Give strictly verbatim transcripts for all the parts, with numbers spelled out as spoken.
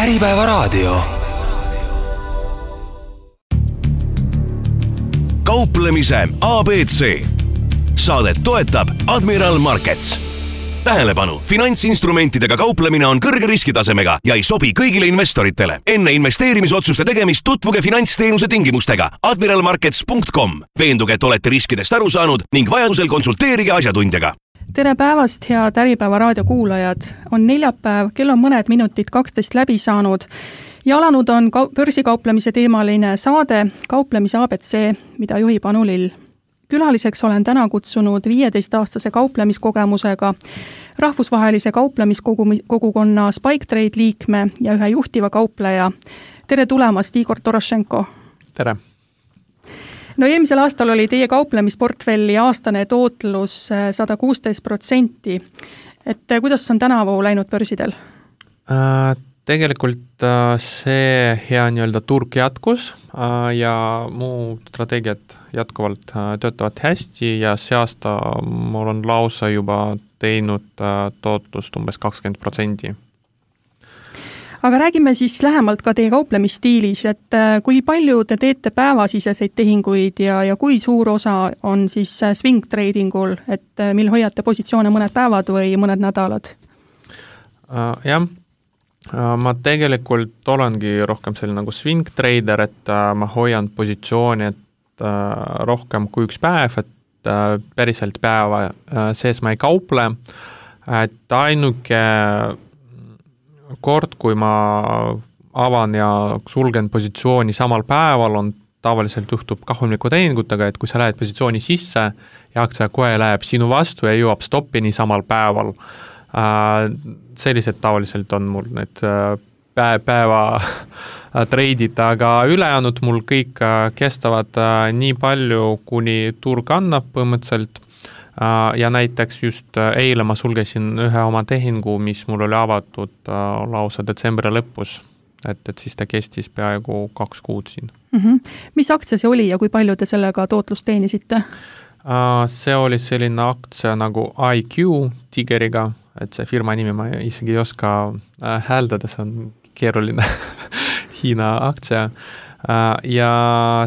Äripäevaraadio. Kauplemise A B C. Saadet toetab Admiral Markets. Tähelepanu, finantsinstrumentidega kauplemine on kõrge riskitasemega ja ei sobi kõigile investoritele. Enne investeerimisotsuste tegemist tutvuge finantsteenuse tingimustega admiral markets punkt com. Veenduge, et olete riskidest aru saanud ning vajadusel konsulteerige asjatundjaga. Tere päevast, head Äripäevaraadio kuulajad. On neljapäev, kell on mõned minutid kaksteist läbi saanud ja alanud on börsikauplemise teemaline saade Kauplemise A B C, mida juhib Anu Lill. Külaliseks olen täna kutsunud viieteist-aastase kauplemiskogemusega rahvusvahelise kauplemiskogukonna Spike Trade liikme ja ühe juhtiva kaupleja. Tere tulemast, Igor Torošenko. Tere. No eelmisel aastal oli teie kauplemisportfelli aastane tootlus sada kuusteist protsenti. Et kuidas on tänavu läinud börsidel? Äh, tegelikult see hea nii-öelda turg jätkus ja muu strateegiad jätkuvalt töötavad hästi ja see aasta mul on lausa juba teinud tootlust umbes kakskümmend protsenti. Aga räägime siis lähemalt ka teie kauplemisstiilis, et kui palju te teete päevasiseseid tehinguid ja, ja kui suur osa on siis swing tradingul, et mil hoiate positsioone mõned päevad või mõned nädalad? Uh, jah, uh, ma tegelikult olengi rohkem selline nagu swing trader, et uh, ma hoian positsiooni, et uh, rohkem kui üks päev, et uh, päriselt päeva uh, sees ma ei kauple, et ainuke kord, kui ma avan ja sulgen positsiooni samal päeval, on tavaliselt juhtub kahjumliku tehingutega, et kui sa lähed positsiooni sisse ja aktsia kohe läheb sinu vastu ja jõuab stoppini samal päeval. Sellised tavaliselt on mul need päeva treidid, aga ülejäänud mul kõik kestavad nii palju, kuni turg annab põhimõtteliselt. Ja näiteks just eile ma sulgesin ühe oma tehingu, mis mul oli avatud lausa detsembri lõpus, et, et siis ta kestis peaaegu kaks kuud siin. Mm-hmm. Mis aktsia see oli ja kui palju te sellega tootlust teenisite? See oli selline aktsia nagu I Q Tigeriga, et see firma nimi ma isegi ei oska hääldada, see on keeruline Hiina aktsia. Ja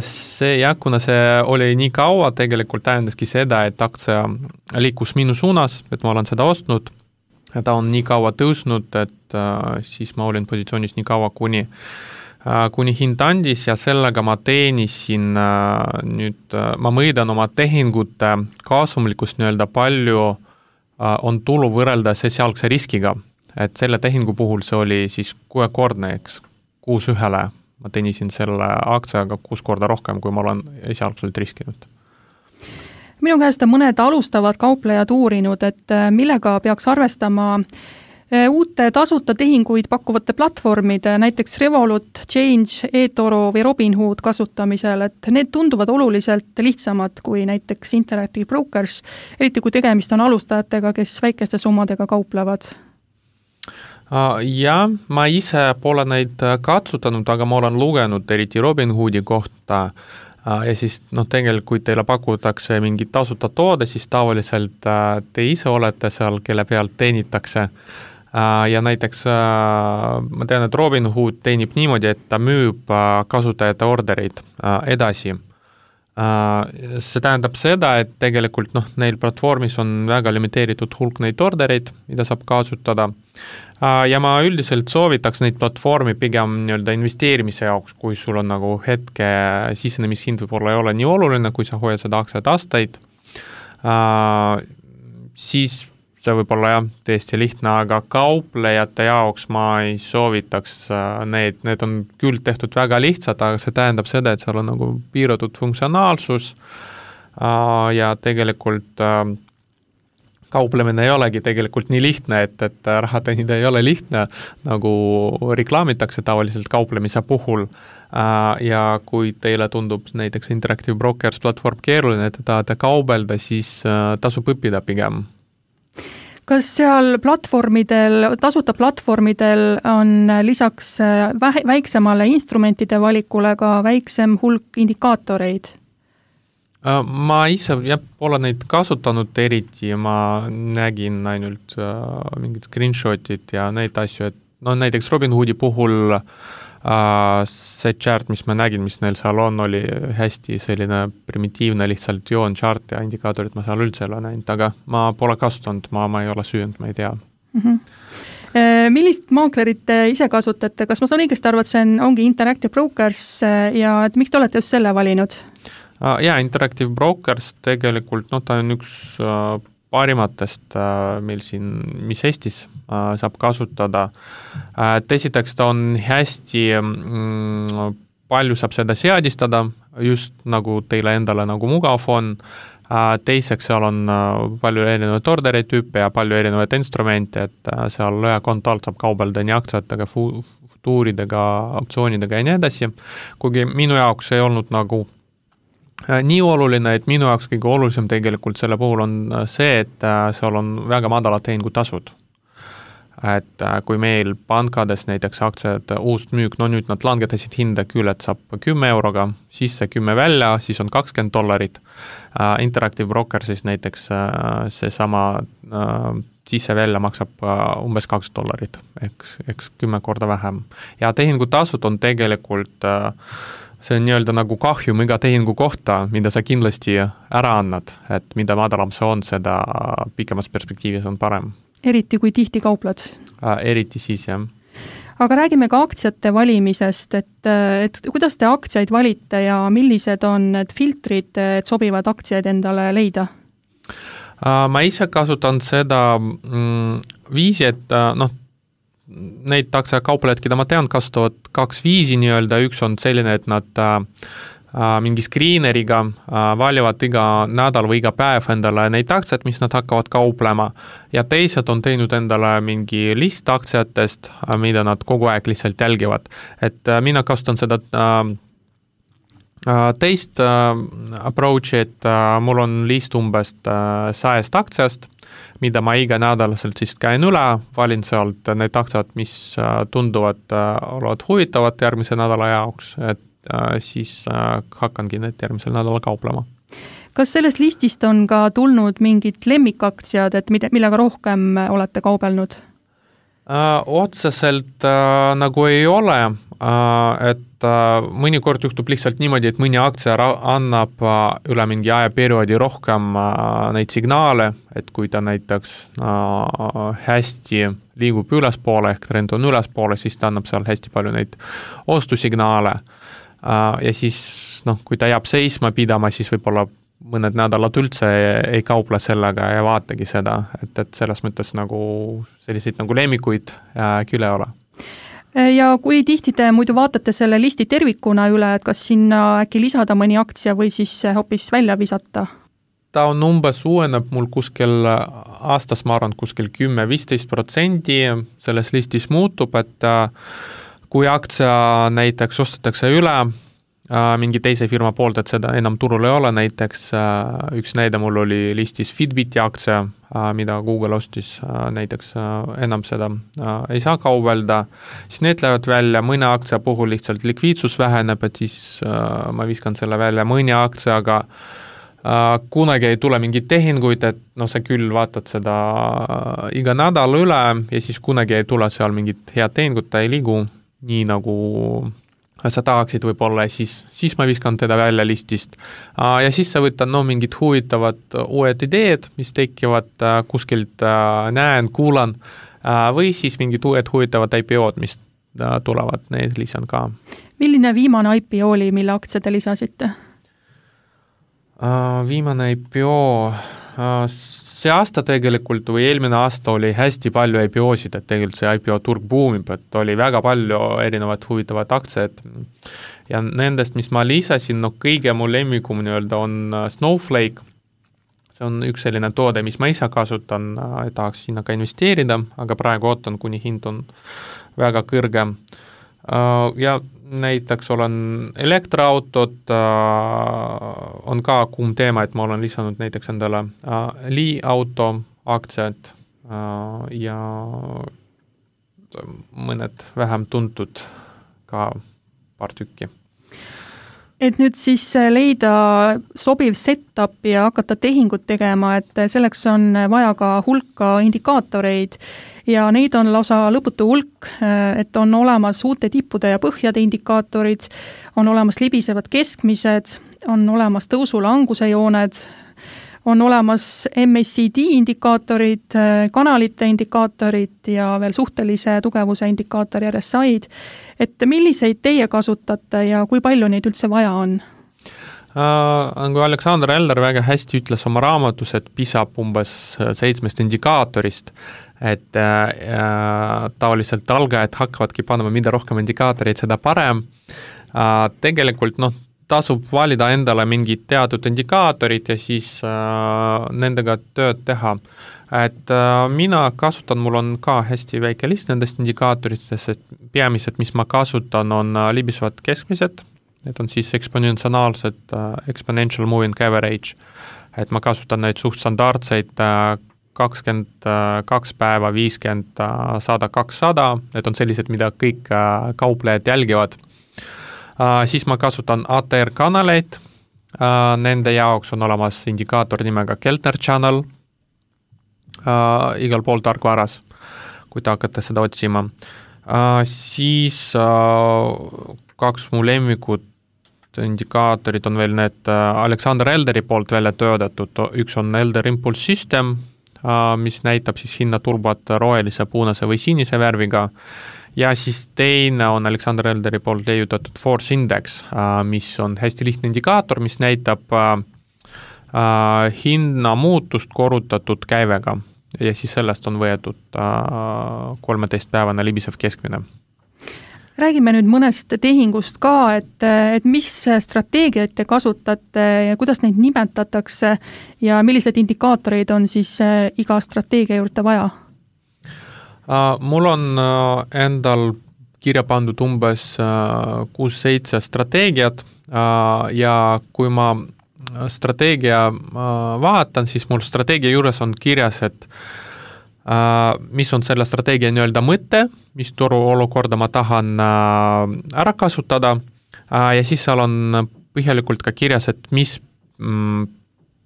see, ja kuna see oli nii kaua, tegelikult tähendaski seda, et aktsia liikus minu suunas, et ma olen seda ostnud, ja ta on nii kaua tõusnud, et uh, siis ma olin positsioonis nii kaua, kuni, uh, kuni hind andis ja sellega ma teenisin uh, nüüd, uh, ma mõõdan oma tehingute kasumlikkust nii-öelda palju uh, on tulu võrrelda esialgse riskiga, et selle tehingu puhul see oli siis kuuekordne, eks, kuus ühele. Ma teenisin selle aktsiaga kuus korda rohkem, kui ma olen esialgselt riskinud. Minu käest on mõned alustavad kauplejad uurinud, et millega peaks arvestama uute tasuta tehinguid pakkuvate platvormide, näiteks Revolut, Change, eToro või Robinhood kasutamisel, et need tunduvad oluliselt lihtsamad kui näiteks Interactive Brokers, eriti kui tegemist on alustajatega, kes väikeste summadega kauplevad. Ja ma ise pole neid katsutanud, aga ma olen lugenud eriti Robinhoodi kohta ja siis no, tegelikult kui teile pakutakse mingit tasuta toode, siis tavaliselt te ise olete seal, kelle pealt teenitakse ja näiteks ma tean, et Robinhood teenib niimoodi, et ta müüb kasutajate ordereid edasi. See tähendab seda, et tegelikult noh, neil platvormis on väga limiteeritud hulk neid ordereid, mida saab kasutada. Ja ma üldiselt soovitaks neid platvormi pigem nii-öelda investeerimise jaoks, kui sul on nagu hetke sisenemishind võib-olla ei ole nii oluline, kui sa hoiad seda aktsiat aastaid, siis see võib-olla jah, tõesti lihtne, aga kauplejate jaoks ma ei soovitaks need, need on küll tehtud väga lihtsad, aga see tähendab seda, et seal on nagu piiratud funktsionaalsus ja tegelikult kauplemine ei olegi tegelikult nii lihtne, et, et raha teenida ei ole lihtne, nagu reklaamitakse tavaliselt kauplemise puhul. Ja kui teile tundub näiteks Interactive Brokers platvorm keeruline, et te tahate kaubelda, siis tasub õppida pigem. Kas seal platvormidel, tasuta platvormidel on lisaks väiksemale instrumentide valikule ka väiksem hulk indikaatoreid? Ma ise jah, pole neid kasutanud eriti, ma nägin ainult uh, mingid screenshotid ja neid asju, et no näiteks Robinhoodi puhul Uh, see chart, mis ma nägin, mis neil seal on, oli hästi selline primitiivne lihtsalt joon chart ja indikaatorid ma seal üldse ei ole näinud, aga ma pole kasutanud, ma, ma ei ole süünud, ma ei tea. Mm-hmm. Millist maaklerit te ise kasutate? Kas ma saan õigesti arvu, et see on, ongi Interactive Brokers ja et miks te olete just selle valinud? Uh, jaa, Interactive Brokers tegelikult, no ta on üks uh, parimatest uh, meil siin, mis Eestis uh, saab kasutada. Uh, Tesiteks ta on hästi mm, palju saab seda seadistada, just nagu teile endale nagu mugav on. Uh, teiseks seal on uh, palju erinevaid ordereid tüüpe ja palju erinevaid instrumente, et uh, seal ühe konto alt saab kaubelda nii aktsiatega, futuuridega, optsioonidega ja nii edasi. Kuigi minu jaoks ei olnud nagu nii oluline, et minu jaoks kõige olulisem tegelikult selle puhul on see, et seal on väga madalad tehingutasud. Et kui meil pankades näiteks aktsiad uust müük, no nüüd nad langetasid hinda küll, et saab kümme euroga, sisse kümme välja, siis on kakskümmend dollarit. Interactive Broker siis näiteks see sama sisse välja maksab umbes kaks dollarit, eks, eks kümme korda vähem. Ja tehingutasud on tegelikult see on nii-öelda nagu kahjum iga tehingu kohta, mida sa kindlasti ära annad, et mida madalam see on, seda pikemas perspektiivis on parem. Eriti kui tihti kauplad? Äh, eriti siis, jah. Aga räägime ka aktsiate valimisest, et, et kuidas te aktsiaid valite ja millised on need filtrid, et sobivad aktsiaid endale leida? Äh, ma ise kasutan seda mm, viisi, et noh, neid aktsiakauplejad, keda ma tean, kasutavad kaks viisi nii-öelda, üks on selline, et nad äh, mingi screeneriga äh, valivad iga nädal või iga päev endale neid aktsiat, mis nad hakkavad kauplema ja teised on teinud endale mingi list aktsiatest, äh, mida nad kogu aeg lihtsalt jälgivad. Et äh, mina kasutan seda äh, teist äh, approach'i, et äh, mul on list umbes äh, sajast aktsiast, mida ma iga nädalaselt siis käin üle, valin sealt need aktsiad, mis tunduvad olevat huvitavad järgmise nädala jaoks, et siis hakkangi need järgmisel nädala kauplema. Kas sellest listist on ka tulnud mingid lemmikaktsiad, et millega rohkem olete kaubelnud? Otseselt nagu ei ole, et mõnikord juhtub lihtsalt niimoodi, et mõni aktsia annab üle mingi ajaperioodi rohkem neid signaale, et kui ta näiteks hästi liigub ülespoole, ehk trend on ülespoole, siis ta annab seal hästi palju neid ostusignaale ja siis, noh, kui ta jääb seisma pidama, siis võib-olla mõned nädalad üldse ei kauple sellega ja vaatagi seda, et, et selles mõttes nagu selliseid nagu lemmikuid küll ei ole. Ja kui tihti te muidu vaatate selle listi tervikuna üle, et kas sinna äkki lisada mõni aktsia või siis hoopis välja visata? Ta on umbes uueneb mul kuskil aastas, ma arvan, kuskil kümme viisteist protsendi selles listis muutub, et kui aktsia näiteks ostetakse üle mingi teise firma poolt, et seda enam turul ei ole, näiteks üks näide mul oli listis Fitbiti aktsia, mida Google ostis, näiteks enam seda ei saa kaubelda, siis need lähevad välja, mõne aktsia puhul lihtsalt likviidsus väheneb, et siis ma viskan selle välja mõni aktsiaga, kunagi ei tule mingeid tehinguid, et noh, sa küll vaatad seda iga nädal üle ja siis kunagi ei tule seal mingit head tehingut, ta ei liigu nii nagu sa tahaksid võib-olla, siis, siis ma viskan teda välja listist. Ja siis sa võtad no, mingid huvitavad uued ideed, mis tekivad kuskilt näen, kuulan, või siis mingid uued huvitavad I P O-d, mis tulevad, need lisan ka. Milline viimane I P O oli, mille aktsia te lisasite? Viimane I P O... See aasta tegelikult või eelmine aasta oli hästi palju I P O-sid, et tegelikult see I P O-turg buumib, et oli väga palju erinevat huvitavat aktsiat ja nendest, mis ma lisasin, no kõige mu lemmikum nii-öelda on Snowflake. See on üks selline toode, mis ma ise kasutan, tahaks sinna ka investeerida, aga praegu ootan, kuni hind on väga kõrge. Ja näiteks olen elektriautod, on ka kuum teema, et ma olen lisanud näiteks endale Li auto aktsiad ja mõned vähem tuntud ka paar tükki. Et nüüd siis leida sobiv setup ja hakata tehingut tegema, et selleks on vaja ka hulka indikaatoreid ja neid on lausa lõputu hulk, et on olemas uute tippude ja põhjade indikaatorid, on olemas libisevad keskmised, on olemas tõusu-languse jooned, on olemas M A C D indikaatorid, kanalite indikaatorid ja veel suhtelise tugevuse indikaator R S I-d. Et milliseid teie kasutate ja kui palju neid üldse vaja on? Kui Alexander Elder väga hästi ütles oma raamatus, et pisab umbes seitsmest indikaatorist, et äh, taoliselt algajad hakkavadki panema, mida rohkem indikaatoreid, seda parem. Äh, tegelikult noh, tasub valida endale mingid teatud indikaatorid ja siis äh, nendega tööd teha. Et äh, mina kasutan, mul on ka hästi väike list nendest indikaatoritest, et peamised, mis ma kasutan, on äh, libisevad keskmised. Need on siis eksponentsiaalsed uh, exponential moving average, et ma kasutan neid suht standardseid uh, kakskümmend kaks päeva, viiskümmend, sada, kakssada, need on sellised, mida kõik uh, kauplejad jälgivad. Uh, siis ma kasutan A T R-kanaleid, uh, nende jaoks on olemas indikaator nimega Keltner Channel, uh, igal pool tarkvaras, kui te hakkate seda otsima. Uh, siis uh, kaks mu lemmikut indikaatorid on veel need Alexander Elderi poolt välja töödatud, üks on Elder Impulse System, mis näitab siis hinnatulbat rohelise, puunase või sinise värviga ja siis teine on Alexander Elderi poolt leiutatud Force Index, mis on hästi lihtne indikaator, mis näitab hinna muutust korrutatud käivega ja siis sellest on võetud kolmeteist päevane libisev keskmine. Räägime nüüd mõnest tehingust ka, et, et mis strateegiaid te kasutate ja kuidas neid nimetatakse ja millised indikaatoreid on siis iga strateegia juurde vaja? Mul on endal kirja pandud umbes kuus seitse strateegiat ja kui ma strateegia vaatan, siis mul strateegia juures on kirjas, et Uh, mis on selle strateegia nii-öelda mõte, mis turu olukorda ma tahan uh, ära kasutada uh, ja siis seal on põhjalikult ka kirjas, et mis mm,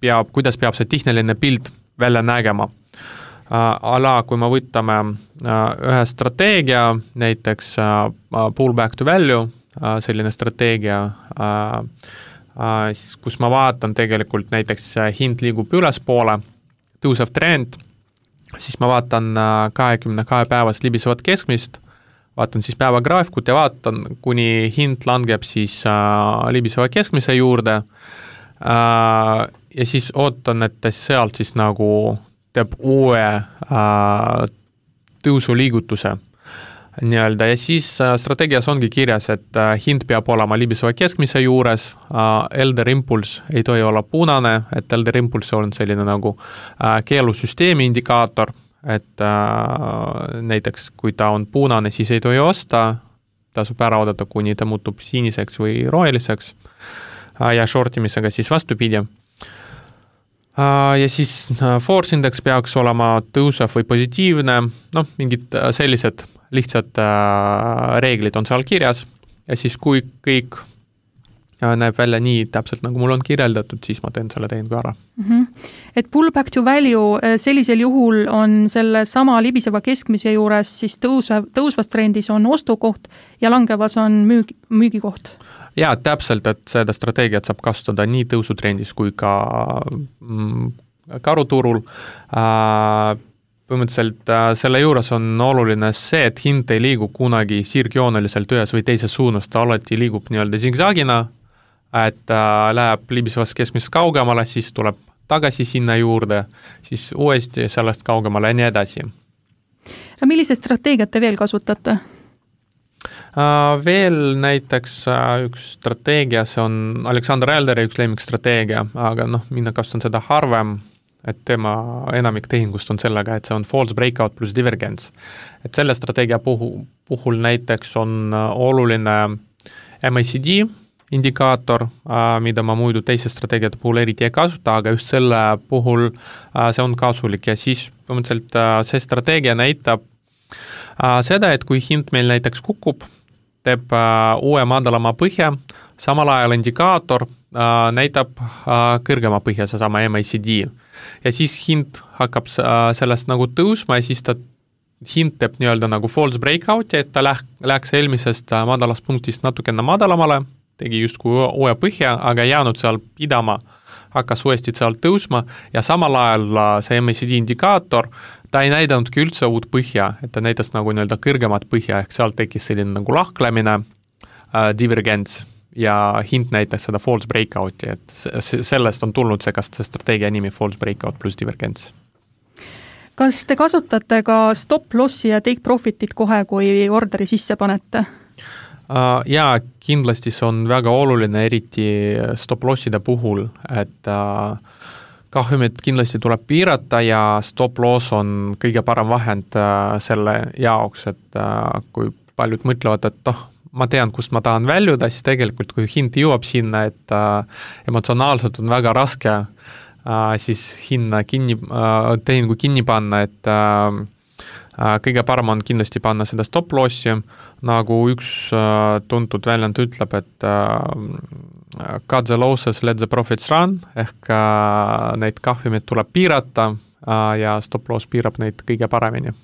peab, kuidas peab see tehniline pilt välja nägema. Uh, ala, kui me võtame uh, ühe strateegia, näiteks uh, pull back to value, uh, selline strateegia, uh, uh, kus ma vaatan tegelikult näiteks uh, hind liigub ülespoole, tõusev trend, siis ma vaatan kahekümne kahe päevast libisevat keskmist, vaatan siis päevagraafikut ja vaatan, kuni hind langeb siis äh, libiseva keskmise juurde äh, ja siis ootan, et sealt siis nagu teeb uue äh, tõusuliigutuse nii-öelda ja siis äh, strateegias ongi kirjas, et äh, hind peab olema libiseva keskmise juures, äh, Elder Impulse ei tohi olla punane, et Elder Impulse on selline nagu äh, keelusüsteemi indikaator, et äh, näiteks kui ta on punane, siis ei tohi osta, tasub ära oodata, kuni ta muutub siniseks või roheliseks äh, ja shortimisega siis vastupidi. Ja siis Force Index peaks olema tõusev või positiivne, noh, mingid sellised lihtsad reeglid on seal kirjas ja siis kui kõik näeb välja nii täpselt, nagu mul on kirjeldatud, siis ma teen selle tehingu ära. Mm-hmm. Et pull back to value sellisel juhul on selle sama libiseva keskmise juures siis tõusev, tõusvas trendis on ostukoht ja langevas on müügi, müügikoht. Jaa, täpselt, et seda strateegiat saab kasutada nii tõusutrendis kui ka mm, karuturul. Äh, põhimõtteliselt äh, selle juures on oluline see, et hind ei liigu kunagi sirgjooneliselt ühes või teises suunas, ta alati liigub nii-öelda zigzagina, et äh, läheb libisevast keskmisest kaugemale, siis tuleb tagasi sinna juurde, siis uuesti sellest kaugemale ja nii edasi. Millise strateegiat te veel kasutate? Uh, veel näiteks uh, üks strateegia, see on Alexander Elderi üks lemmik strateegia, aga noh, mina kasutan seda harvem, et tema enamik tehingust on sellega, et see on false breakout plus divergence. Et selle strateegia puhul, puhul näiteks on uh, oluline M A C D indikaator, uh, mida ma muidu teise strateegiate puhul eriti ei kasuta, aga just selle puhul uh, see on kasulik ja siis põhimõtteliselt uh, see strateegia näitab uh, seda, et kui hind meil näiteks kukub, teeb uh, uue madalama põhja, samal ajal indikaator uh, näitab uh, kõrgema põhja, seesama M A C D. Ja siis hind hakkab uh, sellest nagu tõusma ja siis ta hind teeb nii-öelda nagu false breakout'i, et ta läh-, läheks eelmisest madalast punktist natukene madalamale, tegi justkui uue põhja, aga jäänud seal pidama, hakkas uuesti seal tõusma ja samal ajal see M A C D indikaator, ta ei näidanudki üldse uut põhja, et ta näitas nagu nii-öelda kõrgemat põhja, ehk seal tekkis selline nagu lahklemine, äh, divergents ja hind näitas seda false breakout'i, et sellest on tulnud see, kas see strateegia nimi false breakout pluss divergents. Kas te kasutate ka stop lossi ja take profitit kohe, kui orderi sisse panete? Uh, jaa, kindlasti see on väga oluline, eriti stop losside puhul, et uh, kahjumit kindlasti tuleb piirata ja stop loss on kõige parem vahend uh, selle jaoks, et uh, kui paljud mõtlevad, et oh, ma tean, kust ma tahan väljuda, siis tegelikult kui hind jõuab sinna, et uh, emotsionaalselt on väga raske Uh, siis hinna kinni, uh, tehingu kinni panna, et uh, uh, kõige parem on kindlasti panna seda stop lossi, nagu üks uh, tuntud väljend ütleb, et uh, cut the losses, let the profits run, ehk uh, neid kahjumid tuleb piirata uh, ja stop loss piirab neid kõige paremini.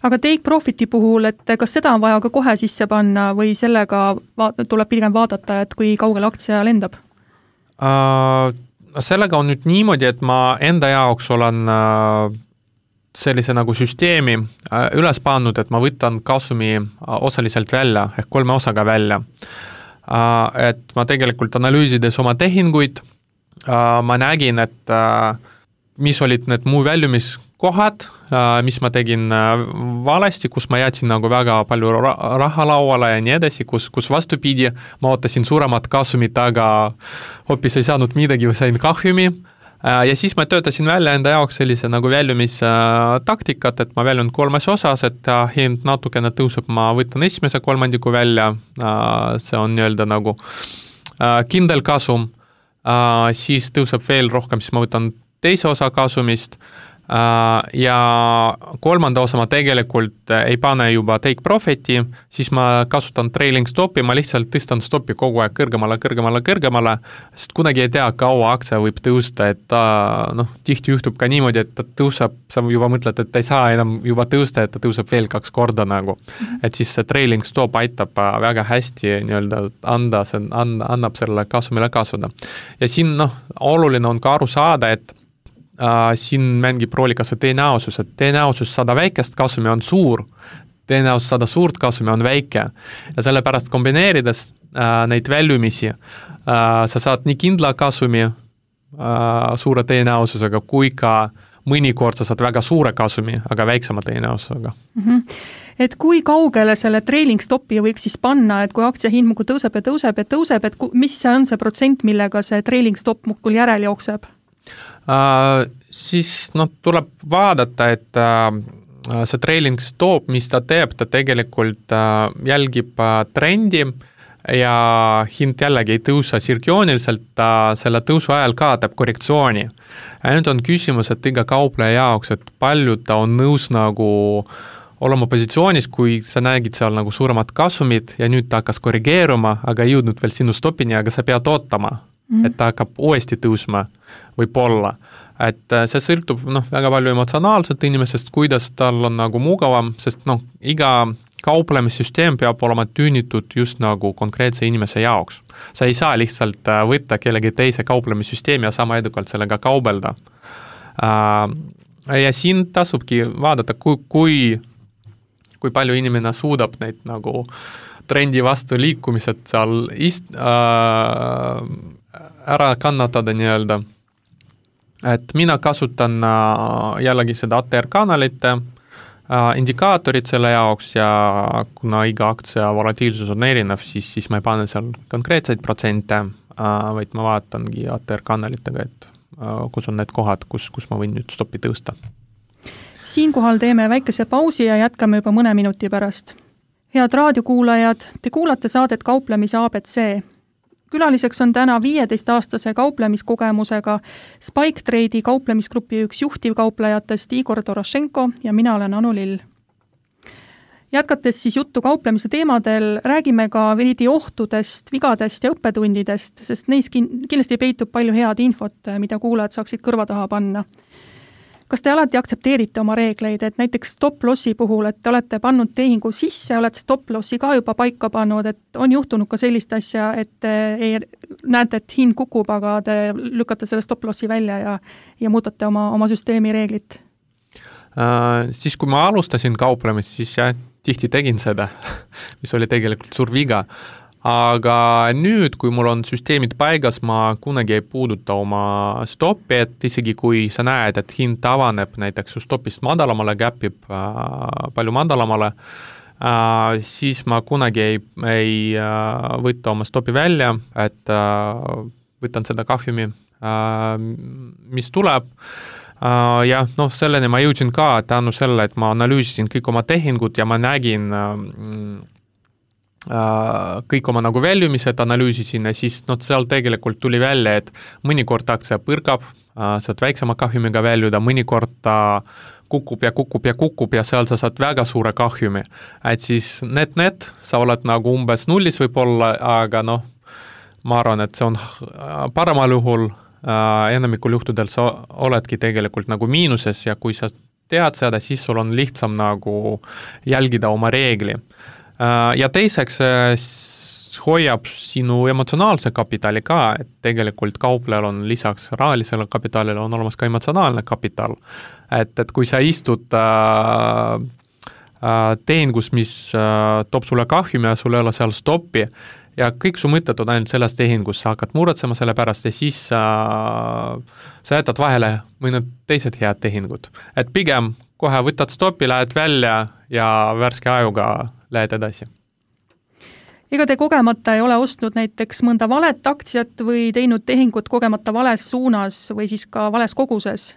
Aga take profiti puhul, et kas seda on vaja ka kohe sisse panna või sellega va- tuleb pigem vaadata, et kui kaugel aktsia lendab? Uh, sellega on nüüd niimoodi, et ma enda jaoks olen äh, sellise nagu süsteemi äh, üles pannud, et ma võtan kasumi äh, osaliselt välja, ehk kolme osaga välja. Äh, et ma tegelikult analüüsides oma tehinguid, äh, ma nägin, et äh, mis olid need muu väljumiskohad, äh, mis ma tegin äh, valesti, kus ma jätsin nagu väga palju ra- raha lauale ja nii edasi, kus, kus vastupidi, ma ootasin suuremat kasumit, aga hoopis ei saanud midagi või sain kahjumi. Äh, ja siis ma töötasin välja enda jaoks sellise nagu väljumistaktikat, et ma väljun kolmes osas, et äh, hind natukene tõuseb, ma võtan esimese kolmandiku välja, äh, see on nii-öelda nagu äh, kindel kasum, äh, siis tõuseb veel rohkem, siis ma võtan teise osa kasumist uh, ja kolmanda osa ma tegelikult ei pane juba take profiti, siis ma kasutan trailing stopi, ma lihtsalt tõstan stopi kogu aeg kõrgemale, kõrgemale, kõrgemale, sest kunagi ei tea, kaua aktsia võib tõusta, et ta, noh, tihti juhtub ka niimoodi, et ta tõuseb, sa juba mõtled, et ta ei saa enam juba tõusta, et ta tõuseb veel kaks korda nagu. Mm-hmm. Et siis see trailing stop aitab väga hästi nii-öelda anda, see anda, annab selle kasumile kasvada. Ja siin, noh, oluline on ka aru saada, et Uh, siin mängib rooli ka see tõenäosus, et tõenäosus saada väikest kasumi on suur, tõenäosus saada suurt kasumi on väike ja sellepärast kombineerides uh, neid väljumisi uh, sa saad nii kindla kasumi uh, suure tõenäosusega kui ka mõnikord sa saad väga suure kasumi, aga väiksema tõenäosusega. Mm-hmm. Et kui kaugele selle trailing stopi võiks siis panna, et kui aktsia hind muidu tõuseb ja tõuseb ja tõuseb, et ku, mis see on see protsent, millega see trailing stop muidu järel jookseb? Uh, siis no, tuleb vaadata, et uh, see trailing stop, mis ta teeb, ta tegelikult uh, jälgib uh, trendi ja hind jällegi ei tõusa sirgiooniliselt, ta selle tõusu ajal ka teeb korrektsiooni. Ja nüüd on küsimus, et iga kaupleja jaoks, et palju ta on nõus nagu olema positsioonis, kui sa nägid seal nagu suuremat kasumit ja nüüd ta hakkas korrigeeruma, aga ei jõudnud veel sinu stopini, aga sa pead ootama. Mm. Et ta hakkab uuesti tõusma võib-olla. Et see sõltub noh, väga palju emotsionaalselt inimesest, kuidas tal on nagu mugavam, sest noh, iga kauplemissüsteem peab olema tüünitud just nagu konkreetse inimese jaoks. Sa ei saa lihtsalt võtta kellegi teise kauplemissüsteemi ja sama edukalt sellega kaubelda. Ja siin tasubki vaadata, kui, kui, kui palju inimene suudab neid nagu trendi vastu liikumised seal ist, äh, ära kannatada nii-öelda. Et mina kasutan äh, jällegi seda A T R-kanalit, äh, indikaatorid selle jaoks ja kuna iga aktsia volatiilsus on erinev, siis, siis ma ei pane seal konkreetseid protsente, äh, vaid ma vaatangi A T R-kanalitega, et äh, kus on need kohad, kus, kus ma võin nüüd stopi tõusta. Siinkohal teeme väikese pausi ja jätkame juba mõne minuti pärast. Head raadiokuulajad, te kuulate saadet Kauplemise A B C. Külaliseks on täna viieteistaastase kauplemiskogemusega Spike Trade'i kauplemisgrupi üks juhtivkauplejatest Igor Dorošenko ja mina olen Anu Lill. Jätkates siis juttu kauplemise teemadel, räägime ka veidi ohtudest, vigadest ja õppetundidest, sest neis kindlasti peitub palju head infot, mida kuulajad saaksid kõrva taha panna. kas te alati aktsepteerite oma reegleid, et näiteks stop-lossi puhul, et te olete pannud tehingu sisse, olete stop-lossi ka juba paika pannud, et on juhtunud ka sellist asja, et ei, näete, et hind kukub, aga te lükkate selle stop-lossi välja ja, ja muutate oma, oma süsteemi reeglit? Uh, siis kui ma alustasin kauplemist, siis jah, tihti tegin seda, mis oli tegelikult suur viga. Aga nüüd, kui mul on süsteemid paigas, ma kunagi ei puuduta oma stoppi, et isegi kui sa näed, et hind tavaneb näiteks su stopist madalamale, käpib äh, palju madalamale, äh, siis ma kunagi ei, ei äh, võtta oma stopi välja, et äh, võtan seda kahjumi, äh, mis tuleb. Uh, ja noh, selleni ma jõudsin ka tänu selle, et ma analüüsisin kõik oma tehingud ja ma nägin uh, uh, kõik oma nagu väljumised, analüüsisin ja siis noh, seal tegelikult tuli välja, et mõnikord aktsia põrgab, uh, saad väiksema kahjumiga väljuda, mõnikord ta kukub ja kukub ja kukub ja seal sa saad väga suure kahjumi. Et siis net-net, sa oled nagu umbes nullis võib-olla, aga noh, ma arvan, et see on paremal juhul Uh, enamikul juhtudel sa oledki tegelikult nagu miinuses ja kui sa tead seda, siis sul on lihtsam nagu jälgida oma reegli. Uh, ja teiseks uh, hoiab sinu emotsionaalse kapitali ka, et tegelikult kauplejal on lisaks rahalisele kapitalile on olemas ka emotsionaalne kapital. Et, et kui sa istud uh, uh, tehingus, mis uh, toob sulle kahjumi ja sul ei ole seal stoppi, ja kõik su mõtted on ainult selles tehingus, sa hakkad muretsema selle pärast ja siis äh, sa jätad vahele mõned teised head tehingud. Et pigem kohe võtad stopi, lähed välja ja värske ajuga lähed edasi. Ega te kogemata ei ole ostnud näiteks mõnda valet aktsiat või teinud tehingut kogemata vales suunas või siis ka vales koguses?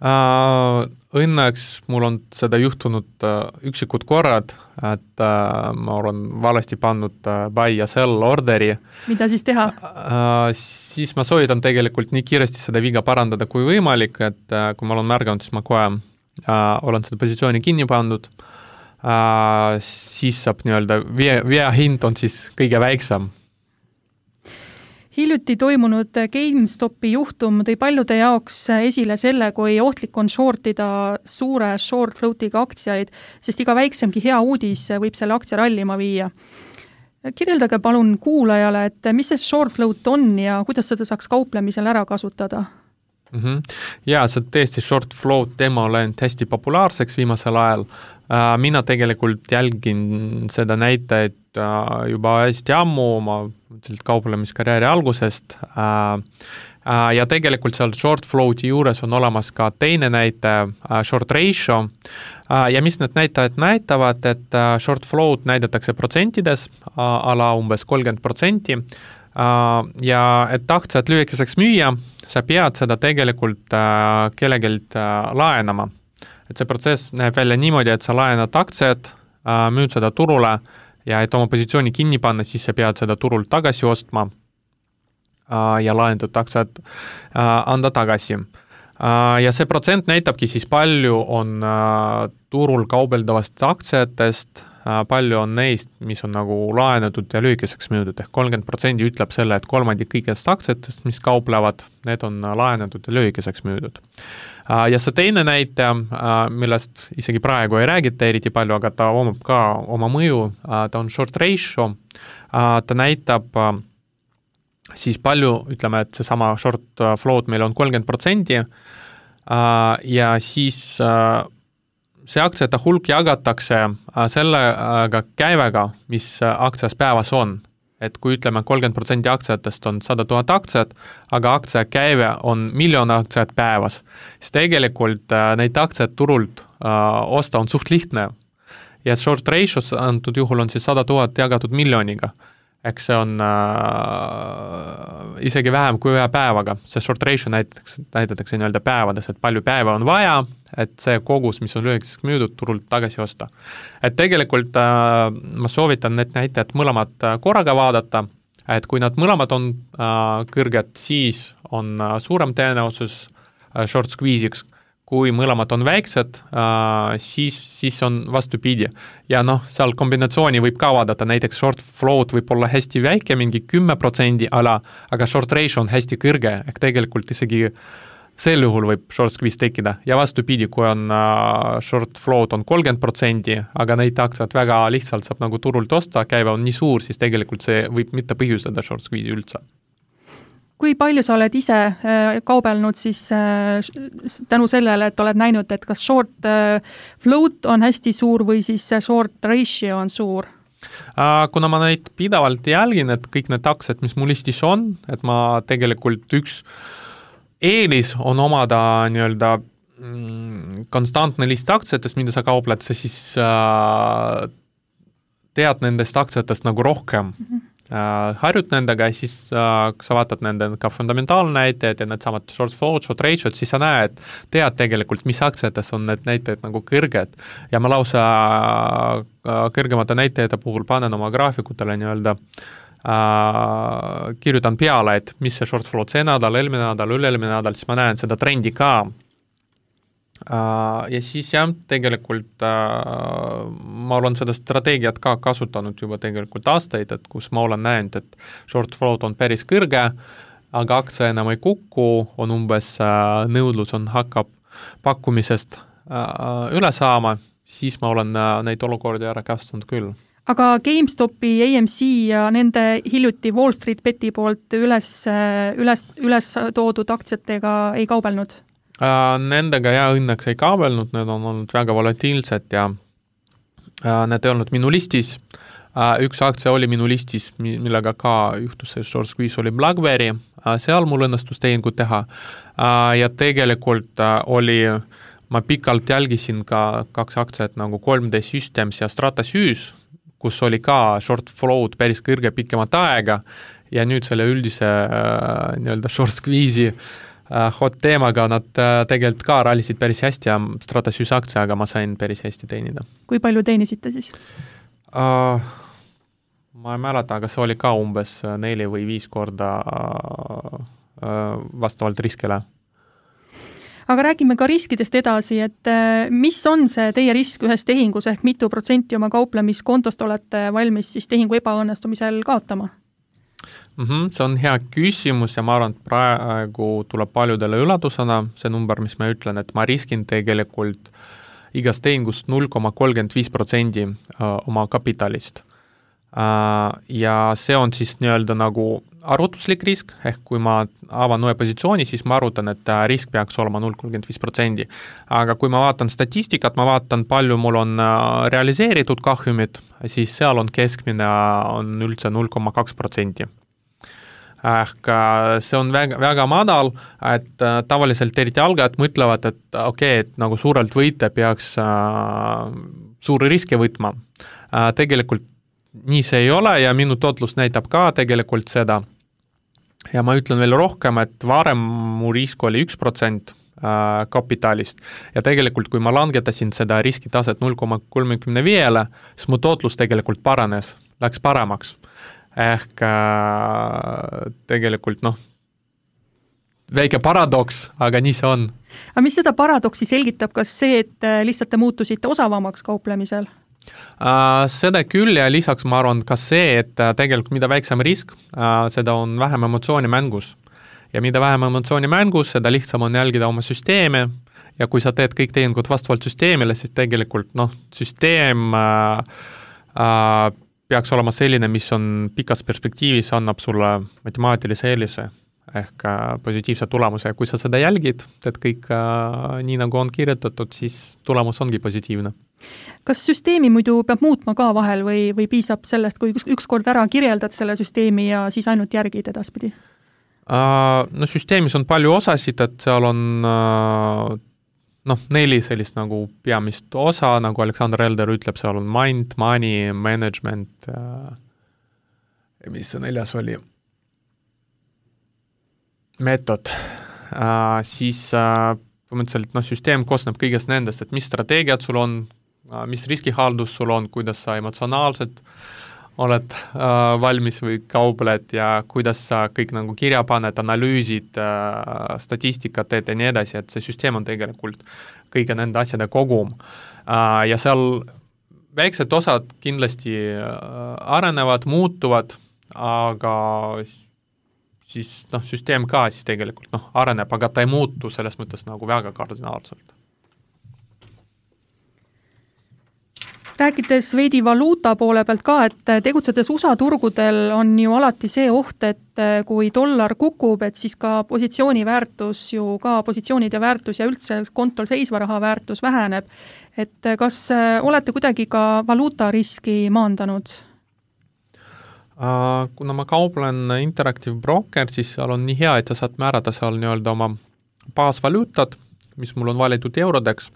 Uh, õnneks mul on seda juhtunud uh, üksikud korrad, et uh, ma olen valesti pannud uh, buy ja sell orderi. Mida siis teha? Uh, siis ma soovitan tegelikult nii kiiresti seda viga parandada kui võimalik, et uh, kui ma olen märganud, siis ma kohe uh, olen seda positsiooni kinni pandud. Uh, siis saab nii-öelda vea, vea hind on siis kõige väiksem. Hiljuti toimunud GameStopi juhtum tõi paljude jaoks esile selle, kui ohtlik on shortida suure short floatiga aktsiaid, sest iga väiksemgi hea uudis võib selle aktsia rallima viia. Kirjeldage palun kuulajale, et mis see short float on ja kuidas seda saaks kauplemisel ära kasutada? Mm-hmm. Ja, see tõesti short float teema on läinud hästi populaarseks viimasel ajal. Mina tegelikult jälgin seda näitajaid juba hästi ammu oma kauplemiskarjääri algusest ja tegelikult seal short floati juures on olemas ka teine näitaja, short ratio ja mis need näitajad näitavad, et short float näidatakse protsentides ala umbes kolmkümmend protsenti ja et aktsiat lühikeseks müüa, sa pead seda tegelikult kellegilt laenama. Et see protsess näeb välja niimoodi, et sa laenad aktsiat, müüd seda turule ja et oma positsiooni kinni panna, siis sa pead seda turult tagasi ostma ja laendatud aktsiat anda tagasi. Ja see protsent näitabki siis palju on turul kaubeldavast aktsiatest, palju on neist, mis on nagu laenatud ja lühikeseks müüdud, ehk kolmkümmend protsenti ütleb selle, et kolmandik kõigest aktsiatest, mis kauplevad, need on laenatud ja lühikeseks müüdud. Ja see teine näite, millest isegi praegu ei räägita eriti palju, aga ta omab ka oma mõju, ta on short ratio, ta näitab siis palju, ütleme, et see sama short float meil on kolmkümmend protsenti ja siis see aktsiate hulk jagatakse sellega käivega, mis aktsias päevas on. Et kui ütleme kolmkümmend protsenti aktsiatest on sada tuhat aktsiat, aga aktsia käive on miljon aktsiat päevas, siis tegelikult neid aktsiat turult osta on suht lihtne. Ja short ratios antud juhul on siis sada tuhat jagatud miljoniga. Eks see on äh, isegi vähem kui ühe päevaga. See short ratio näitatakse, näitatakse nii-öelda päevades, et palju päeva on vaja, et see kogus, mis on lühikeseks müüdud, turult tagasi osta. Et tegelikult äh, ma soovitan need näitajad mõlemad korraga vaadata, et kui nad mõlemad on äh, kõrged, siis on äh, suurem tõenäosus äh, short squeeze'iks. Kui mõlemad on väiksed, äh, siis, siis on vastupidi. Ja noh, seal kombinatsiooni võib ka vaadata, näiteks short float võib olla hästi väike, mingi kümme protsendi ala, aga short ratio on hästi kõrge, ehk tegelikult isegi sel juhul võib short squeeze tekkida ja vastupidi, kui on uh, short float on kolmkümmend protsenti, aga neid aktsiat väga lihtsalt saab nagu turult osta, käive on nii suur, siis tegelikult see võib mitte põhjustada short squeeze'i üldse. Kui palju sa oled ise äh, kaubelnud siis äh, tänu sellele, et oled näinud, et kas short äh, float on hästi suur või siis short ratio on suur? Uh, kuna ma neid pidavalt jälgin, et kõik need aktsiad, mis mul listis on, et ma tegelikult üks eelis on omada nii-öelda mm, konstantne list aktsiatest, mida sa kaupled, sa siis uh, tead nendest aktsiatest nagu rohkem. Mm-hmm. Uh, harjut nendega ja siis uh, sa vaatad nende ka fundamentaalnäitajad ja need samad short float, short ratio'd, siis sa näed, tead tegelikult, mis aktsiates on need näitajad nagu kõrged ja ma lausa uh, kõrgemate näitajate puhul panen oma graafikutele nii-öelda uh, kirjutan peale, et mis see short float see nädal, eelmine nädal, üle-eelmine nädal, siis ma näen seda trendi ka. Uh, ja siis jah, tegelikult uh, ma olen seda strateegiat ka kasutanud juba tegelikult aastaid, et kus ma olen näinud, et short float on päris kõrge, aga aktsia enam ei kuku, on umbes uh, nõudlus on hakkab pakkumisest uh, üle saama, siis ma olen uh, neid olukordi ära kasutanud küll. Aga GameStopi, A M C ja nende hiljuti Wall Street Beti poolt üles, üles, üles toodud aktsiatega ei kaubelnud? Uh, nendega ja õnneks ei kaabelnud, need on olnud väga volatiilsed ja uh, need ei olnud minu listis. Uh, üks aktsia oli minu listis, millega ka juhtus see short squeeze oli BlackBerry, uh, seal mul õnnestus tehingut teha uh, ja tegelikult uh, oli, ma pikalt jälgisin ka kaks aktsiat nagu kolm D Systems ja Stratasys, kus oli ka short float päris kõrge pikemat aega ja nüüd selle üldise uh, nii-öelda short squeeze'i Uh, hot teemaga nad uh, tegelikult ka rallisid päris hästi ja Stratasys aktsiaga ma sain päris hästi teenida. Kui palju teenisite siis? Uh, ma ei mäleta, aga see oli ka umbes neli või viis korda uh, uh, vastavalt riskile. Aga räägime ka riskidest edasi, et uh, mis on see teie risk ühes tehingus ehk mitu protsenti oma kauplemiskontost olete valmis siis tehingu ebaõnnestumisel kaotama? Mm-hmm, see on hea küsimus ja ma arvan, et praegu tuleb paljudele üllatusena see number, mis ma ütlen, et ma riskin tegelikult igast tehingust null koma kolmkümmend viis protsenti oma kapitalist. Ja see on siis nii-öelda nagu arvutuslik risk, ehk kui ma avan uue positsiooni, siis ma arvutan, et risk peaks olema null koma kolmkümmend viis protsenti. Aga kui ma vaatan statistikat, ma vaatan, palju mul on realiseeritud kahjumid, siis seal on keskmine on üldse null koma kaks protsenti. Ehk see on väga, väga madal, et tavaliselt eriti algajad mõtlevad, et okei, okay, et nagu suurelt võite peaks äh, suuri riske võtma. Äh, tegelikult nii see ei ole ja minu tootlus näitab ka tegelikult seda. Ja ma ütlen veel rohkem, et varem mu risk oli üks protsent äh, kapitalist ja tegelikult kui ma langetasin seda riskitaset null koma kolmkümmend viis, siis mu tootlus tegelikult paranes, läks paremaks. Ehk äh, tegelikult noh, väike paradoks, aga nii see on. Aga mis seda paradoksi selgitab, kas see, et lihtsalt te muutusite osavamaks kauplemisel? Uh, seda küll ja lisaks ma arvan ka see, et tegelikult mida väiksem risk, uh, seda on vähem emotsiooni mängus. Ja mida vähem emotsiooni mängus, seda lihtsam on jälgida oma süsteemi ja kui sa teed kõik tehingud vastavalt süsteemile, siis tegelikult noh, süsteem uh, uh, peaks olema selline, mis on pikas perspektiivis, annab sulle matemaatilise eelise ehk uh, positiivse tulemuse ja kui sa seda jälgid, teed kõik uh, nii nagu on kirjutatud, siis tulemus ongi positiivne. Kas süsteemi muidu peab muutma ka vahel või, või piisab sellest, kui üks, üks kord ära kirjeldad selle süsteemi ja siis ainult järgid edaspidi? Uh, no süsteemis on palju osasid, et seal on uh, noh, neli sellist nagu peamist osa, nagu Alexander Elder ütleb, seal on mind, money, management uh, mis see neljas oli? Meetod. Uh, siis uh, põhimõtteliselt noh, süsteem koosneb kõigest nendest, et mis strateegiad sul on, uh, mis riskihaldus sul on, kuidas sa emotsionaalselt oled uh, valmis või kaupled ja kuidas sa kõik nagu kirja paned, analüüsid, uh, statistikat teed ja nii edasi, et see süsteem on tegelikult kõige nende asjade kogum. Uh, ja seal väiksed osad kindlasti uh, arenevad, muutuvad, aga siis noh, süsteem ka siis tegelikult noh, areneb, aga ta ei muutu selles mõttes nagu väga kardinaalselt. Rääkides veidi valuuta poole pealt ka, et tegutsedes U S A turgudel on ju alati see oht, et kui dollar kukub, et siis ka positsiooni väärtus ju ka positsioonide väärtus ja üldse kontol seisva raha väärtus väheneb. Et kas olete kuidagi ka valuutariski maandanud? Kuna ma kauplen Interactive Broker, siis seal on nii hea, et sa saad määrata seal nii-öelda oma baasvaluutad, mis mul on valitud eurodeks.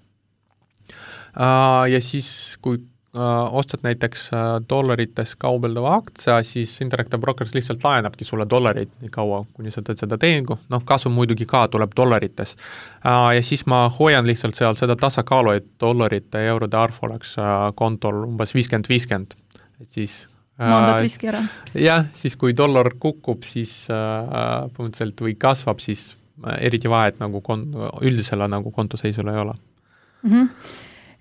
Ja siis, kui ostad näiteks dollarites kaubeldava aktsia, siis Interactive Brokers lihtsalt laenabki sulle dollareid nii kaua, kuni sa teed seda tehingu. Noh, kasum muidugi ka tuleb dollarites. Ja siis ma hoian lihtsalt seal seda tasakaalu, et dollarite ja eurode arv oleks kontol umbes viiskümmend viiskümmend. Et siis maandad riski ära. Jah, siis kui dollar kukub, siis põhimõtteliselt või kasvab, siis eriti vahet nagu kon- üldisele nagu kontoseisule ei ole. Mhm.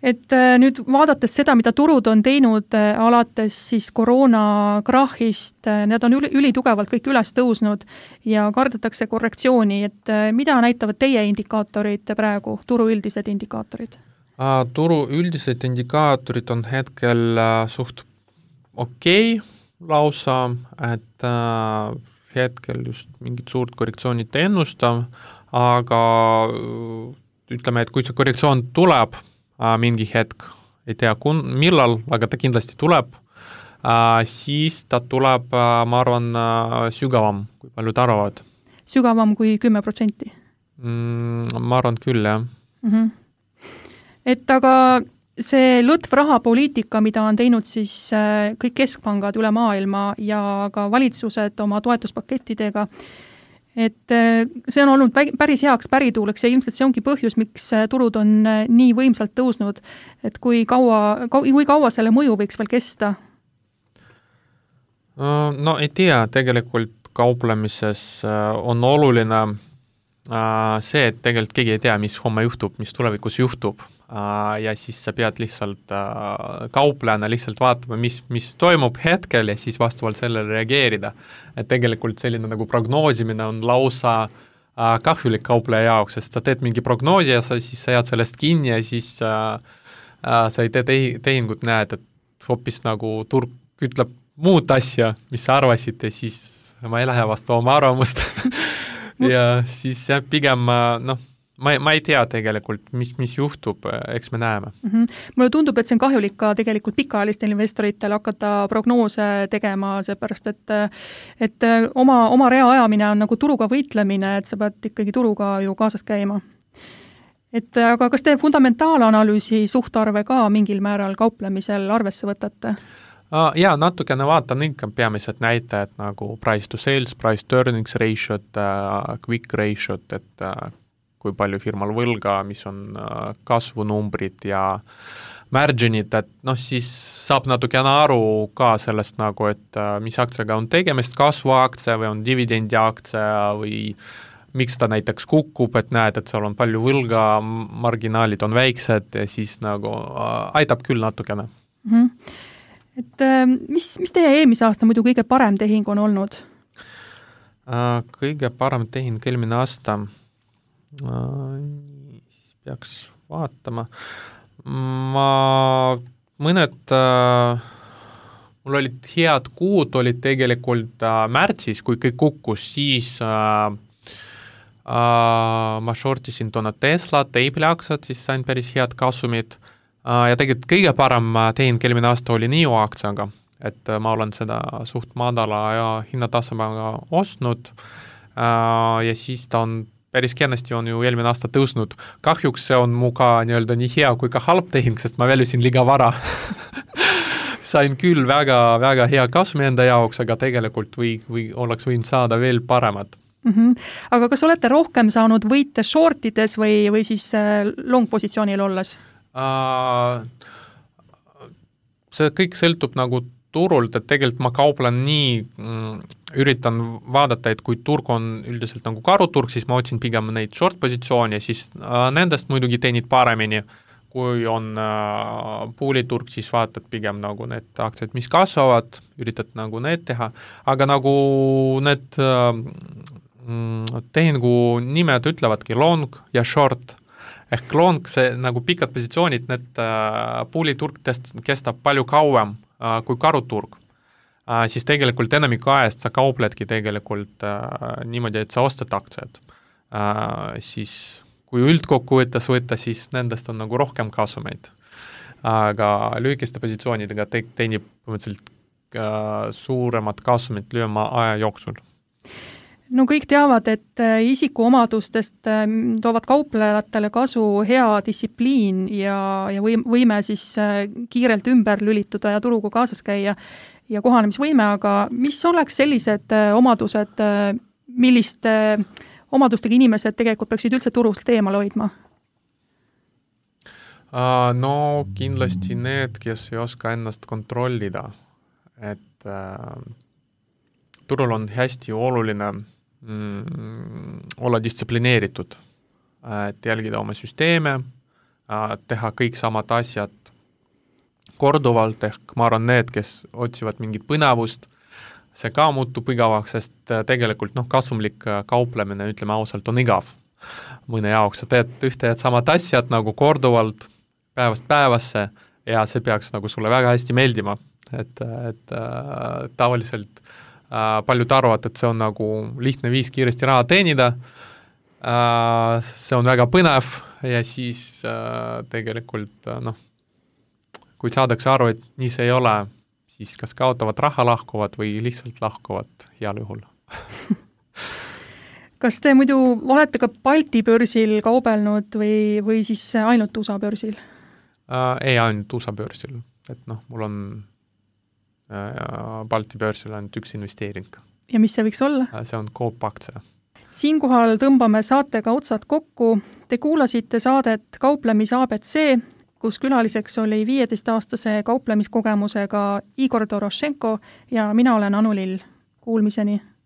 Et nüüd vaadates seda, mida turud on teinud alates siis koroona krahhist, need on üli, ülitugevalt kõik üles tõusnud ja kardetakse korrektsiooni, et mida näitavad teie indikaatorid praegu, turu üldised indikaatorid? Turu üldised indikaatorid on hetkel suht okei lausa, et hetkel just mingit suurt korrektsioonit ennustab, aga ütleme, et kui see korrektsioon tuleb, mingi hetk, ei tea kun, millal, aga ta kindlasti tuleb, siis ta tuleb, ma arvan, sügavam, kui paljud arvavad. Sügavam kui kümme protsenti? Mm, ma arvan küll, jah. Mm-hmm. Et aga see lõtv rahapoliitika, mida on teinud siis kõik keskpangad üle maailma ja ka valitsused oma toetuspakettidega, et see on olnud päris heaks pärituuleks ja ilmselt see ongi põhjus, miks turud on nii võimsalt tõusnud, et kui kaua, kui kaua selle mõju võiks veel kesta? No ei tea, tegelikult kauplemises on oluline see, et tegelikult keegi ei tea, mis homme juhtub, mis tulevikus juhtub. Ja siis sa pead lihtsalt kauplejana lihtsalt vaatama, mis, mis toimub hetkel ja siis vastavalt sellele reageerida. Et tegelikult selline nagu prognoosimine on lausa kahjulik kaupleja jaoks, sest sa teed mingi prognoosi ja sa, siis sa jääd sellest kinni ja siis äh, sa ei tee tehingut, näed, et hoopis nagu turg ütleb muud asja, mis sa arvasid ja siis ma ei lähe vastu oma arvamust ja siis jah, pigem noh, Ma, ma ei tea tegelikult, mis, mis juhtub, eks me näeme. Mm-hmm. Mulle tundub, et see on kahjulik ka tegelikult pikaajalistele investoritel hakata prognoose tegema, seepärast, et, et oma, oma rea ajamine on nagu turuga võitlemine, et sa pead ikkagi turuga ju kaasas käima. Et, aga kas te fundamentaalanalüüsi suhtarve ka mingil määral kauplemisel arvesse võtate? Jaa, natukene vaatan ikka peamised näitajad nagu price to sales, price to earnings ratio, quick ratio, et kui palju firmal võlga, mis on kasvunumbrid ja marginid, et noh, siis saab natukene aru ka sellest nagu, et mis aktsiaga on tegemist, kasvuaktsia või on dividendi aktsia või miks ta näiteks kukub, et näed, et seal on palju võlga, marginaalid on väiksed ja siis nagu aitab küll natukene. Mm-hmm. Et mis, mis teie eelmise aasta muidu kõige parem tehing on olnud? Kõige parem tehing eelmine aasta peaks vaatama. Ma mõned, mul olid head kuud, olid tegelikult märtsis, kui kõik kukkus, siis äh, äh, ma shortisin toona Tesla, Teibli aktsiat, siis sain päris head kasumid äh, ja tegelikult kõige parem tehing eelmine aasta oli N I O aktsiaga, et ma olen seda suht madala ja hinnatasemega ostnud äh, ja siis ta on päris kenasti on ju eelmine aasta tõusnud. Kahjuks see on mu ka nii-öelda nii hea kui ka halb tehing, sest ma välusin liiga vara. Sain küll väga, väga hea kasumi enda jaoks, aga tegelikult või, või oleks võinud saada veel paremad. Mm-hmm. Aga kas olete rohkem saanud võite shortides või, või siis long positsioonil olles? Uh, see kõik sõltub nagu turult, et tegelikult ma kauplen nii, mm, üritan vaadata, et kui turg on üldiselt nagu karuturg, siis ma otsin pigem neid short positsiooni ja siis äh, nendest muidugi teenid paremini. kui on äh, puuliturg, siis vaatad pigem nagu need aktsiad, mis kasvavad, üritad nagu need teha, aga nagu need äh, tehingu nimed ütlevadki long ja short, ehk long, see nagu pikad positsioonid, need äh, puuliturg test, kestab palju kauem äh, kui karuturg. Uh, siis tegelikult enamiku ajast sa kaupledki tegelikult uh, niimoodi, et sa ostad aktsiad. Uh, siis kui üldkokkuvõttes võtta, siis nendest on nagu rohkem kasumeid. Aga lühikeste positsioonidega te- teenib põhimõtteliselt uh, suuremat kasumit lühema aja jooksul. No kõik teavad, et isikuomadustest toovad kauplejatele kasu hea distsipliin ja, ja võime siis kiirelt ümber lülituda ja turuga kaasas käia ja kohanemisvõime, aga mis oleks sellised omadused, milliste omadustega inimesed tegelikult peaksid üldse turult eemal hoidma? No kindlasti need, kes ei oska ennast kontrollida, et äh, turul on hästi oluline mm, olla distsiplineeritud, et jälgida oma süsteeme, teha kõik samad asjad korduvalt, ehk ma arvan need, kes otsivad mingit põnevust, see ka muutub igavaks, sest tegelikult noh, kasumlik kauplemine, ütleme ausalt, on igav mõne jaoks, sa teed ühte ja samad asjad nagu korduvalt päevast päevasse ja see peaks nagu sulle väga hästi meeldima, et, et äh, tavaliselt äh, paljud arvavad, et see on nagu lihtne viis kiiresti raha teenida, äh, see on väga põnev ja siis äh, tegelikult äh, noh, kui saadakse aru, et nii see ei ole, siis kas kaotavad raha, lahkuvad või lihtsalt lahkuvad heal juhul. Kas te muidu olete ka Balti börsil kaubelnud või, või siis ainult U S A börsil? Uh, ei, ainult U S A börsil. Et noh, mul on uh, Balti börsil ainult üks investeering. Ja mis see võiks olla? Uh, see on Coop aktsia. Siinkohal tõmbame saatega otsad kokku. Te kuulasite saadet Kauplemise A B C, kus külaliseks oli viieteistaastase kauplemiskogemusega Igor Dorošenko ja mina olen Anu Lill. Kuulmiseni!